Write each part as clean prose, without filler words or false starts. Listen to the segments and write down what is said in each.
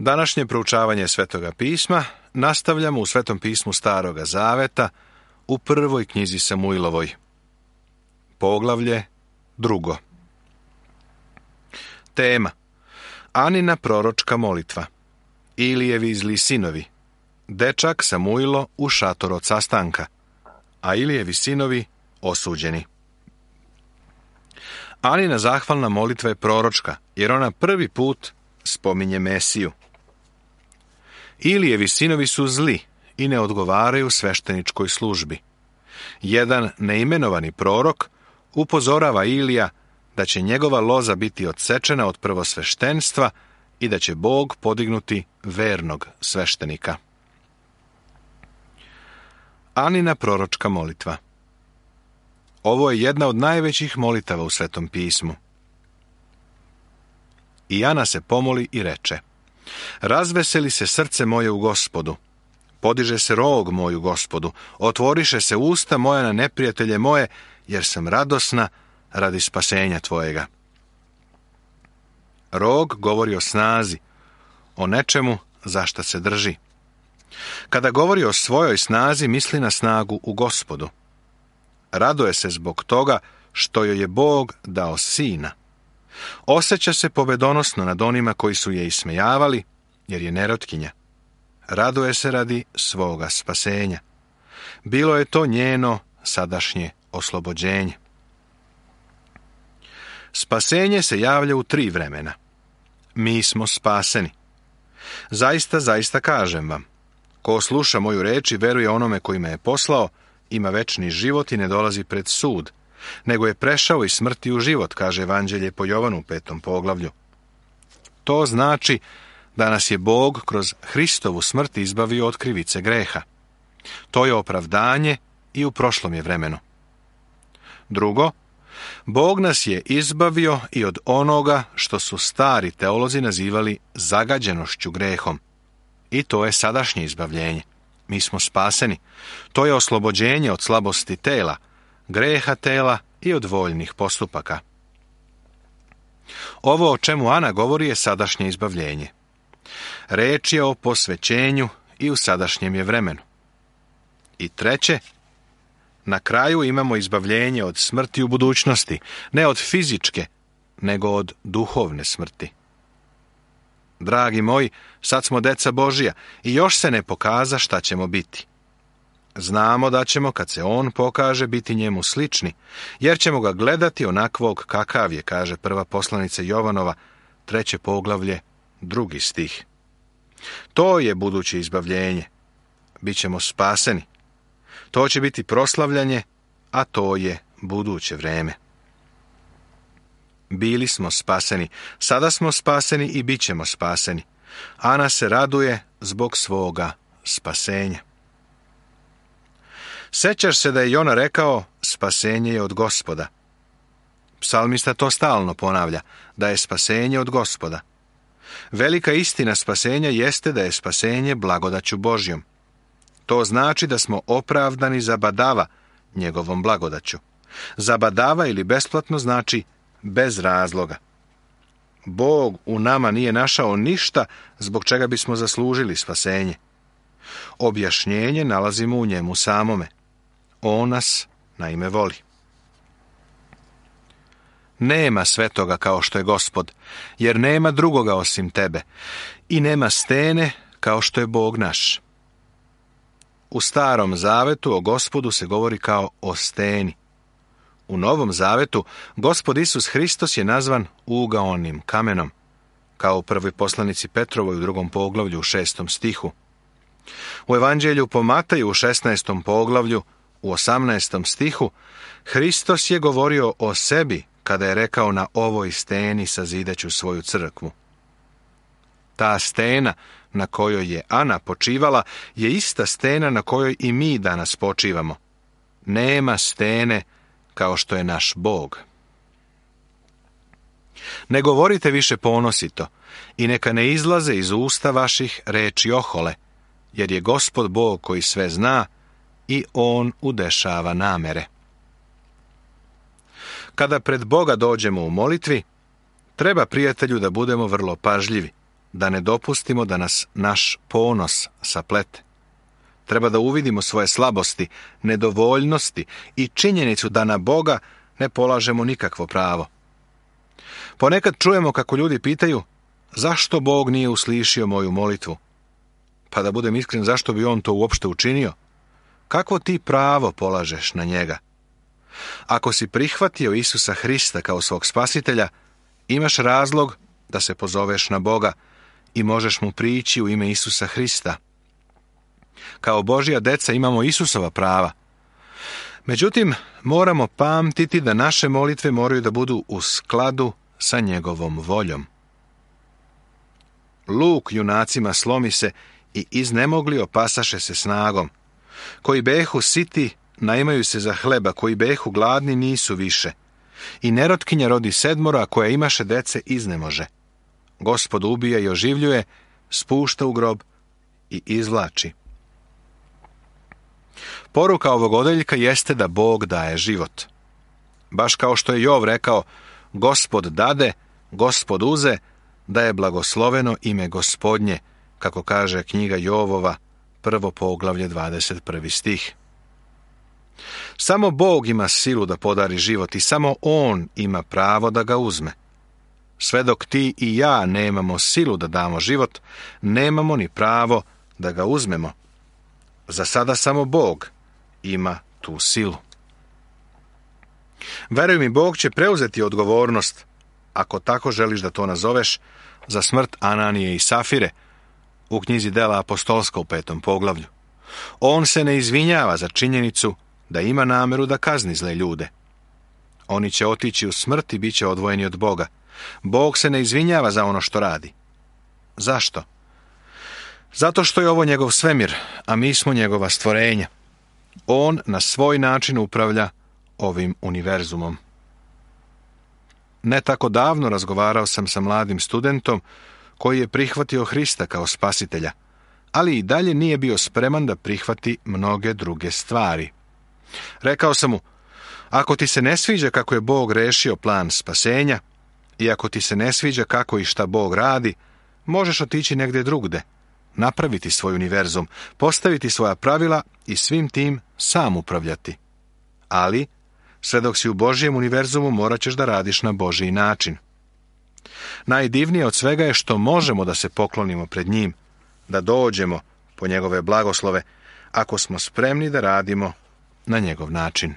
Današnje proučavanje Svetoga pisma nastavljamo u Svetom pismu Staroga Zaveta u prvoj knjizi Samuilovoj. Poglavlje 2. Tema: Anina proročka molitva. Ilijevi zli sinovi. Dečak Samuilo u šator od sastanka, a Ilijevi sinovi osuđeni. Anina zahvalna molitva je proročka, jer ona prvi put spominje Mesiju. Ilijevi sinovi su zli i ne odgovaraju svešteničkoj službi. Jedan neimenovani prorok upozorava Ilija da će njegova loza biti odsečena od prvosveštenstva i da će Bog podignuti vernog sveštenika. Anina proročka molitva. Ovo je jedna od najvećih molitava u Svetom pismu. I Ana se pomoli i reče: Razveseli se srce moje u Gospodu, podiže se rog moj u Gospodu, otvoriše se usta moja na neprijatelje moje, jer sam radosna radi spasenja tvojega. Rog govori o snazi, o nečemu za šta se drži. Kada govori o svojoj snazi, misli na snagu u Gospodu. Raduje se zbog toga što joj je Bog dao sina. Osjeća se pobedonosno nad onima koji su je ismejavali, jer je nerotkinja. Raduje se radi svoga spasenja. Bilo je to njeno sadašnje oslobođenje. Spasenje se javlja u 3 vremena. Mi smo spaseni. Zaista, zaista kažem vam, ko sluša moju reč i veruje onome koji me je poslao, ima večni život i ne dolazi pred sud, nego je prešao iz smrti u život, kaže Evanđelje po Jovanu u 5. poglavlju. To znači da nas je Bog kroz Hristovu smrt izbavio od krivice greha. To je opravdanje i u prošlom je vremenu. Drugo, Bog nas je izbavio i od onoga što su stari teolozi nazivali zagađenošću grehom. I to je sadašnje izbavljenje. Mi smo spaseni. To je oslobođenje od slabosti tela, greha tela i od voljnih postupaka. Ovo o čemu Ana govori je sadašnje izbavljenje. Reč je o posvećenju i u sadašnjem je vremenu. I treće, na kraju imamo izbavljenje od smrti u budućnosti, ne od fizičke, nego od duhovne smrti. Dragi moji, sad smo deca Božija i još se ne pokaza šta ćemo biti. Znamo da ćemo, kad se on pokaže, biti njemu slični, jer ćemo ga gledati onakvog kakav je, kaže prva poslanica Jovanova, 3. poglavlje, 2. stih. To je buduće izbavljenje. Bićemo spaseni. To će biti proslavljanje, a to je buduće vreme. Bili smo spaseni, sada smo spaseni i bit ćemo spaseni. Ana se raduje zbog svoga spasenja. Sećaš se da je Jona rekao: spasenje je od Gospoda. Psalmista to stalno ponavlja, da je spasenje od Gospoda. Velika istina spasenja jeste da je spasenje blagodaću Božjom. To znači da smo opravdani za badava njegovom blagodaću. Za badava ili besplatno znači bez razloga. Bog u nama nije našao ništa zbog čega bismo zaslužili spasenje. Objašnjenje nalazimo u njemu samome. On nas naime voli. Nema svetoga kao što je Gospod, jer nema drugoga osim tebe, i nema stene kao što je Bog naš. U Starom Zavetu o Gospodu se govori kao o steni. U Novom Zavetu Gospod Isus Hristos je nazvan ugaonim kamenom, kao u prvoj poslanici Petrovoj u 2. poglavlju u 6. stihu. U Evanđelju po Mataju u 16. poglavlju u 18. stihu Hristos je govorio o sebi kada je rekao: na ovoj steni sazidaću svoju crkvu. Ta stena na kojoj je Ana počivala je ista stena na kojoj i mi danas počivamo. Nema stene kao što je naš Bog. Ne govorite više ponosito i neka ne izlaze iz usta vaših reči ohole, jer je Gospod Bog koji sve zna i on udešava namere. Kada pred Boga dođemo u molitvi, treba, prijatelju, da budemo vrlo pažljivi, da ne dopustimo da nas naš ponos saplete. Treba da uvidimo svoje slabosti, nedovoljnosti i činjenicu da na Boga ne polažemo nikakvo pravo. Ponekad čujemo kako ljudi pitaju zašto Bog nije uslišio moju molitvu. Pa da budem iskren, zašto bi on to uopšte učinio? Kakvo ti pravo polažeš na njega? Ako si prihvatio Isusa Hrista kao svog spasitelja, imaš razlog da se pozoveš na Boga i možeš mu prići u ime Isusa Hrista. Kao Božja deca imamo Isusova prava. Međutim, moramo pamtiti da naše molitve moraju da budu u skladu sa njegovom voljom. Luk junacima slomi se i iznemogli opasaše se snagom. Koji behu siti, naimaju se za hleba, koji behu gladni nisu više. I nerotkinja rodi 7, a koja imaše dece iznemože. Gospod ubija i oživljuje, spušta u grob i izvlači. Poruka ovog odeljka jeste da Bog daje život. Baš kao što je Jov rekao, Gospod dade, Gospod uze, da je blagosloveno ime Gospodnje, kako kaže knjiga Jovova, 1. poglavlje, 21. stih. Samo Bog ima silu da podari život i samo On ima pravo da ga uzme. Sve dok ti i ja nemamo silu da damo život, nemamo ni pravo da ga uzmemo. Za sada samo Bog ima tu silu. Veruj mi, Bog će preuzeti odgovornost, ako tako želiš da to nazoveš, za smrt Ananije i Safire u knjizi Dela apostolska u 5. poglavlju. On se ne izvinjava za činjenicu da ima nameru da kazni zle ljude. Oni će otići u smrt i bit će odvojeni od Boga. Bog se ne izvinjava za ono što radi. Zašto? Zato što je ovo njegov svemir, a mi smo njegova stvorenja. On na svoj način upravlja ovim univerzumom. Ne tako davno razgovarao sam sa mladim studentom koji je prihvatio Hrista kao spasitelja, ali i dalje nije bio spreman da prihvati mnoge druge stvari. Rekao sam mu, ako ti se ne sviđa kako je Bog rešio plan spasenja i ako ti se ne sviđa kako i šta Bog radi, možeš otići negdje drugde, napraviti svoj univerzum, postaviti svoja pravila i svim tim sam upravljati. Ali, sve dok si u Božjem univerzumu, morat ćeš da radiš na Božji način. Najdivnije od svega je što možemo da se poklonimo pred njim, da dođemo po njegove blagoslove, ako smo spremni da radimo na njegov način.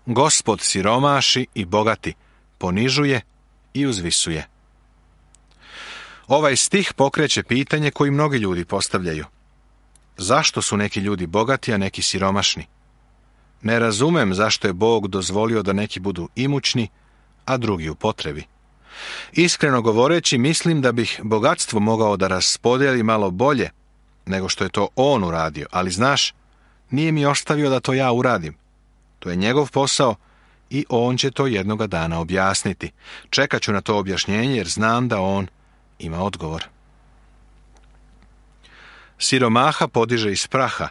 Gospod siromaši i bogati, ponižuje i uzvisuje. Ovaj stih pokreće pitanje koji mnogi ljudi postavljaju. Zašto su neki ljudi bogati, a neki siromašni? Ne razumem zašto je Bog dozvolio da neki budu imućni, a drugi u potrebi. Iskreno govoreći, mislim da bih bogatstvo mogao da raspodijeli malo bolje nego što je to on uradio, ali znaš, nije mi ostavio da to ja uradim. To je njegov posao i on će to jednoga dana objasniti. Čekat ću na to objašnjenje jer znam da on ima odgovor. Siromaha podiže iz praha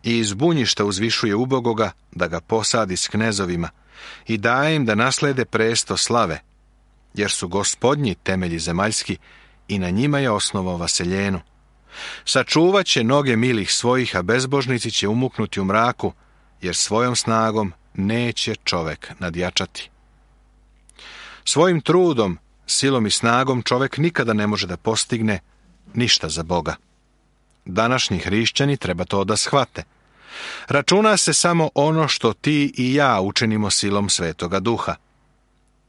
i iz bunjišta uzvišuje ubogoga da ga posadi s knezovima i daje im da naslede presto slave, jer su Gospodnji temelji zemaljski i na njima je osnovao vaseljenu. Sačuvat će noge milih svojih, a bezbožnici će umuknuti u mraku, jer svojom snagom neće čovek nadjačati. Svojim trudom, silom i snagom čovek nikada ne može da postigne ništa za Boga. Današnji hrišćani treba to da shvate. Računa se samo ono što ti i ja učinimo silom Svetoga Duha.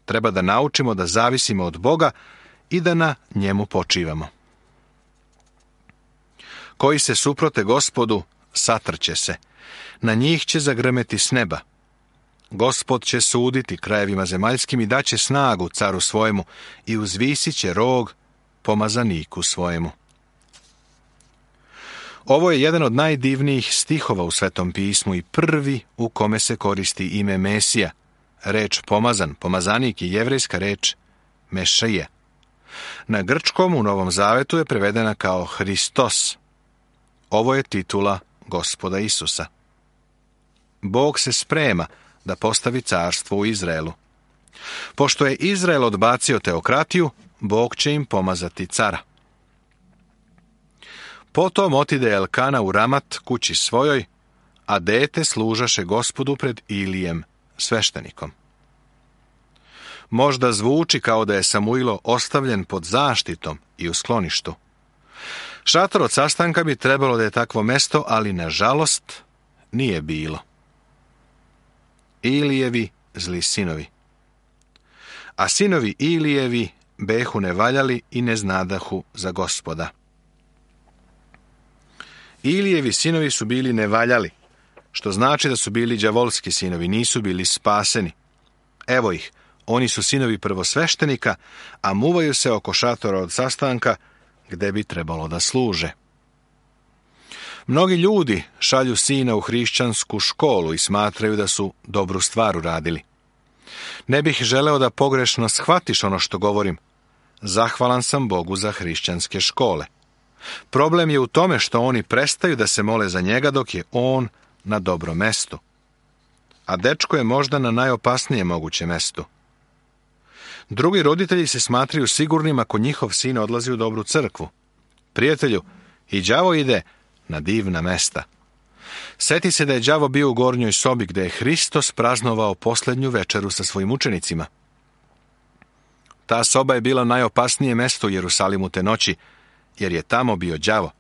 Treba da naučimo da zavisimo od Boga i da na njemu počivamo. Koji se suprote Gospodu, satrće se. Na njih će zagrmeti s neba. Gospod će suditi krajevima zemaljskim i daće snagu caru svojemu i uzvisit će rog pomazaniku svojemu. Ovo je jedan od najdivnijih stihova u Svetom pismu i prvi u kome se koristi ime Mesija. Reč pomazan, pomazanik je jevrejska reč Mešija. Na grčkom u Novom Zavetu je prevedena kao Hristos. Ovo je titula Gospoda Isusa. Bog se sprema da postavi carstvo u Izraelu. Pošto je Izrael odbacio teokratiju, Bog će im pomazati cara. Potom otide Elkana u Ramat kući svojoj, a dete služaše Gospodu pred Ilijem, sveštenikom. Možda zvuči kao da je Samuilo ostavljen pod zaštitom i u skloništu. Šator od sastanka bi trebalo da je takvo mesto, ali nažalost nije bilo. Ilijevi zli sinovi. A sinovi Ilijevi behu nevaljali i ne znadahu za Gospoda. Ilijevi sinovi su bili nevaljali, što znači da su bili đavolski sinovi, nisu bili spaseni. Evo ih, oni su sinovi prvosveštenika, a muvaju se oko šatora od sastanka, gde bi trebalo da služe. Mnogi ljudi šalju sina u hrišćansku školu i smatraju da su dobru stvar uradili. Ne bih želeo da pogrešno shvatiš ono što govorim. Zahvalan sam Bogu za hrišćanske škole. Problem je u tome što oni prestaju da se mole za njega dok je on na dobrom mestu. A dečko je možda na najopasnijem mogućem mestu. Drugi roditelji se smatraju sigurnim ako njihov sin odlazi u dobru crkvu. Prijatelju, i đavo ide na divna mesta. Seti se da je đavo bio u gornjoj sobi gde je Hristos praznovao posljednju večeru sa svojim učenicima. Ta soba je bila najopasnije mesto u Jerusalimu te noći, jer je tamo bio đavo.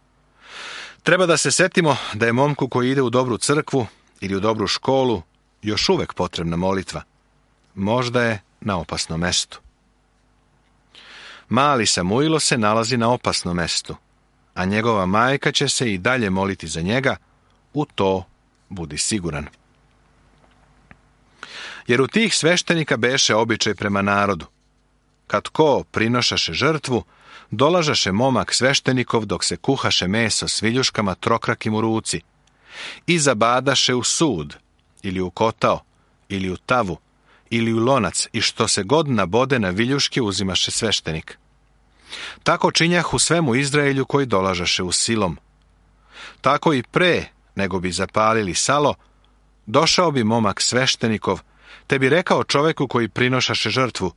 Treba da se setimo da je momku koji ide u dobru crkvu ili u dobru školu još uvek potrebna molitva. Možda je na opasnom mestu. Mali Samuilo se nalazi na opasnom mestu, a njegova majka će se i dalje moliti za njega, u to budi siguran. Jer u tih sveštenika beše običaj prema narodu. Kad ko prinošaše žrtvu, dolažaše momak sveštenikov dok se kuhaše meso s viljuškama trokrakim u ruci i zabadaše u sud, ili u kotao, ili u tavu, ili u lonac, i što se god nabode na viljuške uzimaše sveštenik. Tako činjahu svemu Izraelju koji dolažaše u silom. Tako i pre nego bi zapalili salo, došao bi momak sveštenikov, te bi rekao čoveku koji prinošaše žrtvu: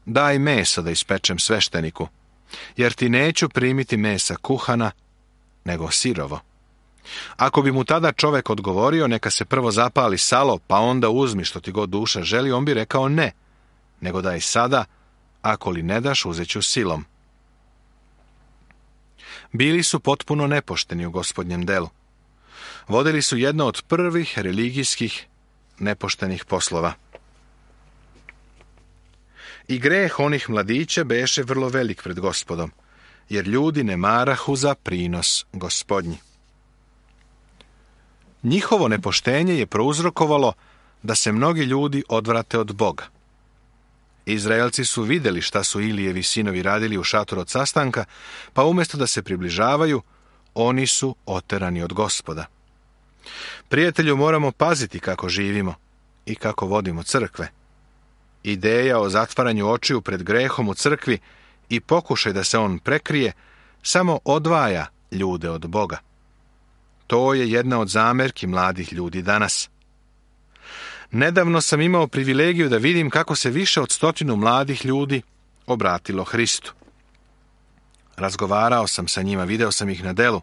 daj meso da ispečem svešteniku, jer ti neću primiti mesa kuhana, nego sirovo. Ako bi mu tada čovek odgovorio: neka se prvo zapali salo, pa onda uzmi što ti god duša želi, on bi rekao: ne, nego daj sada, ako li ne daš, uzeću silom. Bili su potpuno nepošteni u Gospodnjem delu. Vodili su jedno od prvih religijskih nepoštenih poslova. I greh onih mladića beše vrlo velik pred Gospodom, jer ljudi ne marahu za prinos Gospodnji. Njihovo nepoštenje je prouzrokovalo da se mnogi ljudi odvrate od Boga. Izraelci su vidjeli šta su Ilijevi sinovi radili u šatoru od sastanka, pa umjesto da se približavaju, oni su oterani od Gospoda. Prijatelju, moramo paziti kako živimo i kako vodimo crkve. Ideja o zatvaranju očiju pred grehom u crkvi i pokušaj da se on prekrije samo odvaja ljude od Boga. To je jedna od zamerki mladih ljudi danas. Nedavno sam imao privilegiju da vidim kako se više od 100 mladih ljudi obratilo Hristu. Razgovarao sam sa njima, video sam ih na delu.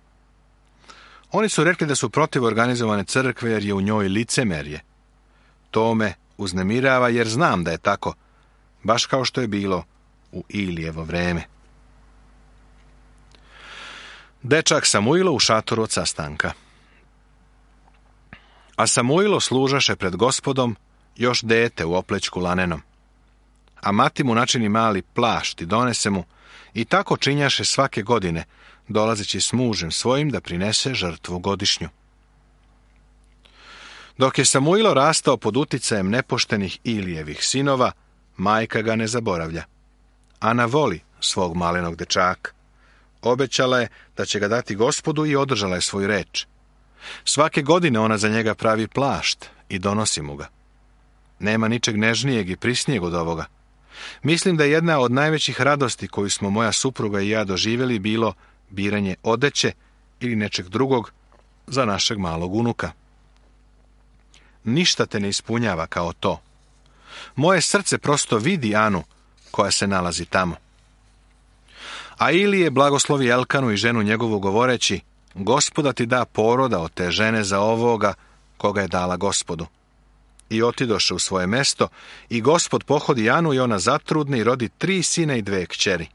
Oni su rekli da su protiv organizovane crkve jer je u njoj licemerje. To me uznemirava jer znam da je tako, baš kao što je bilo u Ilijevo vreme. Dečak Samuilo u šatoru od sastanka. A Samuilo služaše pred Gospodom još dete u oplećku lanenom. A mati mu načini mali plašt i donese mu, i tako činjaše svake godine, dolazeći s mužem svojim da prinese žrtvu godišnju. Dok je Samuilo rastao pod uticajem nepoštenih Ilijevih sinova, majka ga ne zaboravlja. Ana voli svog malenog dečaka. Obećala je da će ga dati Gospodu i održala je svoju reč. Svake godine ona za njega pravi plašt i donosi mu ga. Nema ničeg nežnijeg i prisnijeg od ovoga. Mislim da je jedna od najvećih radosti koju smo moja supruga i ja doživjeli bilo biranje odeće ili nečeg drugog za našeg malog unuka. Ništa te ne ispunjava kao to. Moje srce prosto vidi Anu koja se nalazi tamo. A Ilije blagoslovi Elkanu i ženu njegovu govoreći: Gospoda ti da poroda od te žene za ovoga koga je dala Gospodu. I otidoše u svoje mesto, i Gospod pohodi Anu i ona zatrudne i rodi 3 sina i 2 kćeri.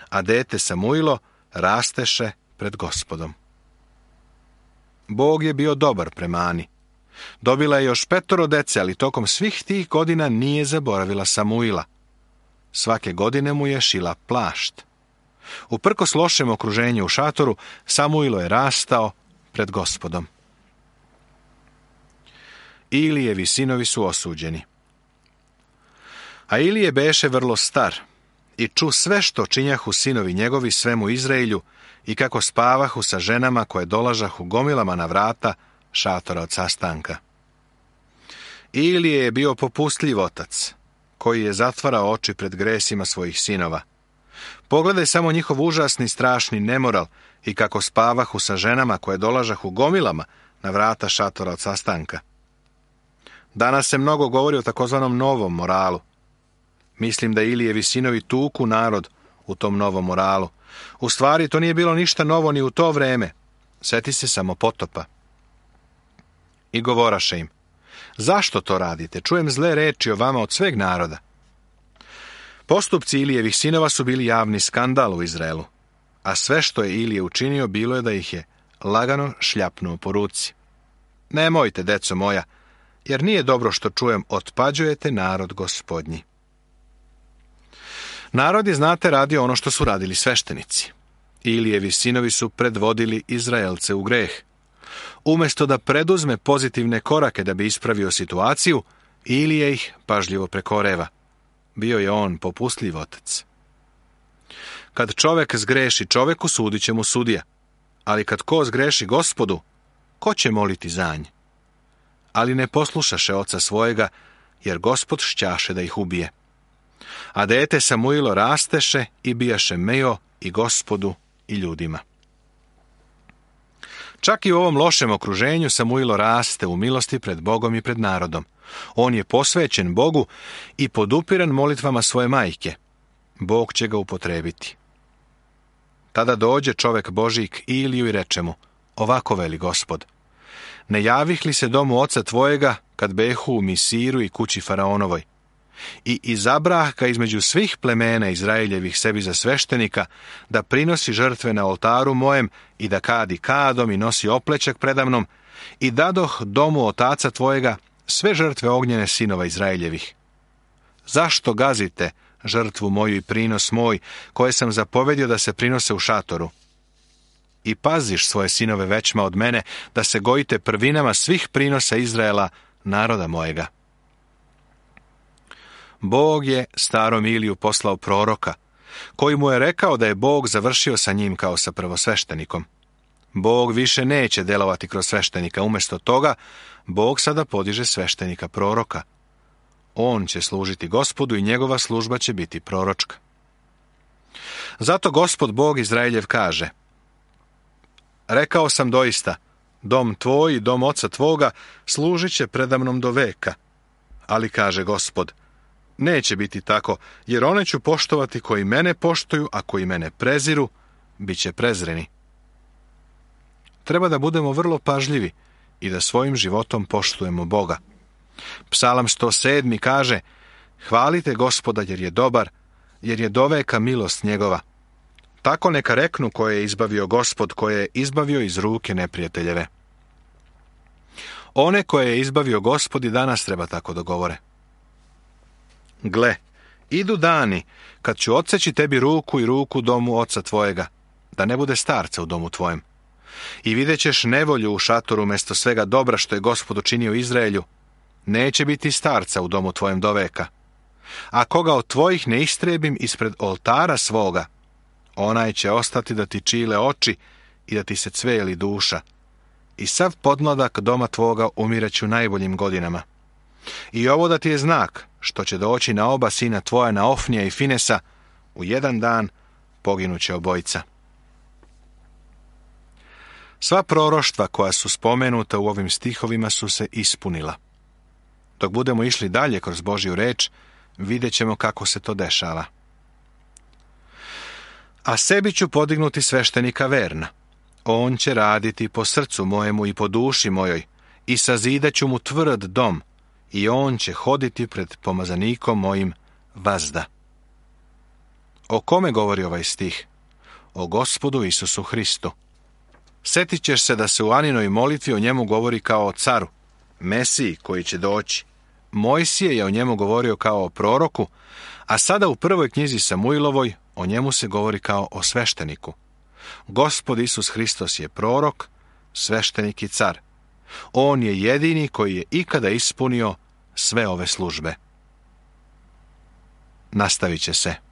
A dete Samuilo rasteše pred Gospodom. Bog je bio dobar prema Ani. Dobila je još 5 dece, ali tokom svih tih godina nije zaboravila Samuila. Svake godine mu je šila plašt. Uprkos lošem okruženju u šatoru, Samuilo je rastao pred Gospodom. Ilijevi sinovi su osuđeni. A Ilije beše vrlo star i ču sve što činjahu sinovi njegovi svemu Izraelju i kako spavahu sa ženama koje dolažahu gomilama na vrata šatora od sastanka. Ilije je bio popustljiv otac, koji je zatvarao oči pred gresima svojih sinova. Pogledaj samo njihov užasni, strašni nemoral i kako spavahu sa ženama koje dolažahu gomilama na vrata šatora od sastanka. Danas se mnogo govori o takozvanom novom moralu. Mislim da Ilijevi sinovi tuku narod u tom novom moralu. U stvari, to nije bilo ništa novo ni u to vreme. Sjeti se samo potopa. I govoraše im: Zašto to radite? Čujem zle reči o vama od sveg naroda. Postupci Ilijevih sinova su bili javni skandal u Izraelu, a sve što je Ilije učinio bilo je da ih je lagano šljapnuo po ruci. Nemojte, deco moja, jer nije dobro što čujem, otpađujete narod Gospodnji. Narod je, znate, radio ono što su radili sveštenici. Ilijevi sinovi su predvodili Izraelce u greh. Umjesto da preduzme pozitivne korake da bi ispravio situaciju, Ilije ih pažljivo prekoreva. Bio je on popustljiv otac. Kad čovek zgreši čoveku, sudit će mu sudija. Ali kad ko zgreši Gospodu, ko će moliti za nj? Ali ne poslušaše oca svojega, jer Gospod šćaše da ih ubije. A dete Samuilo rasteše i bijaše mejo i Gospodu i ljudima. Čak i u ovom lošem okruženju Samuilo raste u milosti pred Bogom i pred narodom. On je posvećen Bogu i podupiran molitvama svoje majke. Bog će ga upotrebiti. Tada dođe čovek Božji k Iliju i reče mu: Ovako veli Gospod: Ne javih li se domu oca tvojega kad behu u Misiru i kući Faraonovoj? I izabrah ga između svih plemena Izraeljevih sebi za sveštenika, da prinosi žrtve na oltaru mojem i da kadi kadom i nosi oplećak predamnom, i dadoh domu otaca tvojega sve žrtve ognjene sinova Izraeljevih. Zašto gazite žrtvu moju i prinos moj, koje sam zapovedio da se prinose u šatoru? I paziš svoje sinove većma od mene, da se gojite prvinama svih prinosa Izraela, naroda mojega. Bog je starom Iliju poslao proroka, koji mu je rekao da je Bog završio sa njim kao sa prvosveštenikom. Bog više neće delovati kroz sveštenika, umjesto toga Bog sada podiže sveštenika proroka. On će služiti Gospodu i njegova služba će biti proročka. Zato Gospod Bog Izraeljev kaže: Rekao sam doista, dom tvoj i dom oca tvoga služit će predamnom do veka. Ali kaže Gospod: Neće biti tako, jer one ću poštovati koji mene poštuju, a koji mene preziru, bit će prezreni. Treba da budemo vrlo pažljivi i da svojim životom poštujemo Boga. Psalam 107. kaže: Hvalite Gospoda jer je dobar, jer je doveka milost njegova. Tako neka reknu koje je izbavio Gospod, koje je izbavio iz ruke neprijateljeve. One koje je izbavio Gospod i danas treba tako da govore. Gle, idu dani kad ću odseći tebi ruku i ruku domu oca tvojega, da ne bude starca u domu tvojem. I vidjet ćeš nevolju u šatoru umjesto svega dobra što je Gospod učinio Izraelju. Neće biti starca u domu tvojem do veka. A koga od tvojih ne istrebim ispred oltara svoga, onaj će ostati da ti čile oči i da ti se cveli duša. I sav podmladak doma tvoga umireću najboljim godinama. I ovo da ti je znak, što će doći na oba sina tvoja, na Ofnija i Finesa, u jedan dan poginuće obojica. Sva proroštva koja su spomenuta u ovim stihovima su se ispunila. Dok budemo išli dalje kroz Božju reč, vidjet ćemo kako se to dešava. A sebi ću podignuti sveštenika verna. On će raditi po srcu mojemu i po duši mojoj, i sazidat ću mu tvrd dom, i on će hoditi pred pomazanikom mojim vazda. O kome govori ovaj stih? O Gospodu Isusu Hristu. Sjetit ćeš se da se u Aninoj molitvi o njemu govori kao o caru, Mesiji koji će doći. Mojsije je o njemu govorio kao o proroku, a sada u prvoj knjizi Samuilovoj o njemu se govori kao o svešteniku. Gospod Isus Hristos je prorok, sveštenik i car. On je jedini koji je ikada ispunio sve ove službe. Nastavit će se.